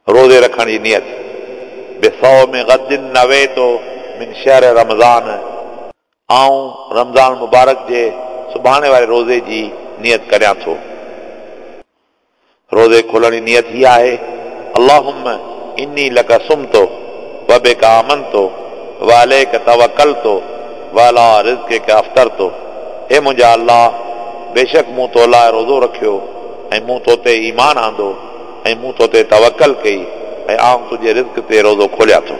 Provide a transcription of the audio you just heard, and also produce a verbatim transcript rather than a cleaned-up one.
रोज़े रखण जी नियत। बिसौम गदिन नवेतो मिन शहर रमज़ान, आऊं रमज़ान मुबारक जे सुभाणे वारे रोज़े जी नियत करियां थो। रोज़े खोलण जी नियत ही आहे, अल्लाहुम्मा इन्नी लक सुमतो व बिका आमनतो व अलैक तवक्कलतो व अला रिज़्क़िक अफ्तरतो। हे मुंहिंजा अल्लाह, बेशक मूं तो लाइ रोज़ो रखियो ऐं मूं तो ते ईमान आंदो ऐं मूं तो ते तवक्कल कई ऐं आउं तुंहिंजे रिज़्क ते रोज़ो खोलियां थो।